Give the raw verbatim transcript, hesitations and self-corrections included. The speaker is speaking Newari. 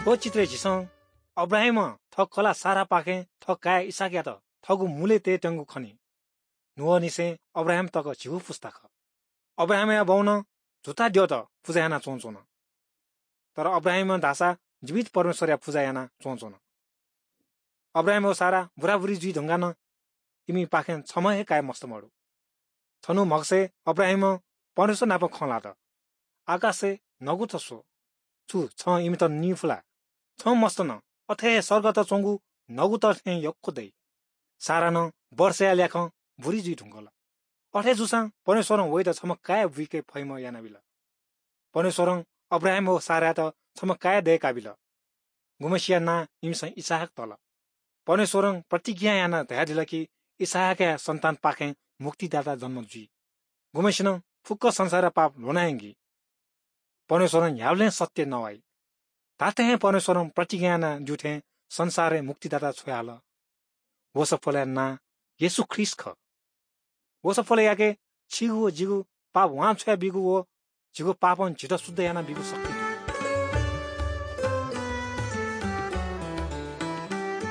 थ्व चित्रय् झीसं अब्राहामं थः कलाः सारापाखें थः काय् इसहाकयात थःगु मुलय् तयेत्यंगु खनी। नोआनिसें अब्राहाम तक झीगु पुस्ता खः। अब्राहामया बौनं झुता द्यःत पुजा यानाच्वंच्वन। तर अब्राहामं धाःसा जीवित परमेश्वरया पुजा यानाच्वंच्वन। अब्राहाम व सारा बुराबुरी जुइ धुंकाः नं इमिपाखें छम्ह हे काय् मस्त मदु। छन्हु म्हगसय् अब्राहामं परमेश्वर नाप खँ ल्हात, "आकाशय् नगुत स्व, छु छं इमित नी फु ला? छं मस्त नं, अथे हे सर्गत च्वंगु नगुत थें यक्व दइ।" सारा नं वर्षया ल्याखं बुरी जुइ धुंकल। अथे जूसां परमेश्वरं वइत छम्ह काय् बुइके फइम्ह यानाबिल। परमेश्वरं अब्राहाम व सारायात छम्ह काय् दय्काबिल, गुम्हसिया नां इमिसं इसहाक तल। परमेश्वरं प्रतिज्ञा यानाः धयादिल कि इसहाकया सन्तानपाखें मुक्तिदाता जन्म जुइ, गुम्हसिनं फुक्क संसारया पाप ल्ह्वना यंकी। परमेश्वरं न्ह्याबलें सत्य नवाइ। धात्थें हे परमेश्वरं प्रतिज्ञा यानादीथें संसारय् मुक्तिदाता छ्वयाहल। व सफलया नां येशू ख्रीष्ट खः। व सफलयाके छिगु व जिगु पाप वांछ्वयाबीगु व झीगु पापं झीत शुद्ध यानाबीगु शक्ति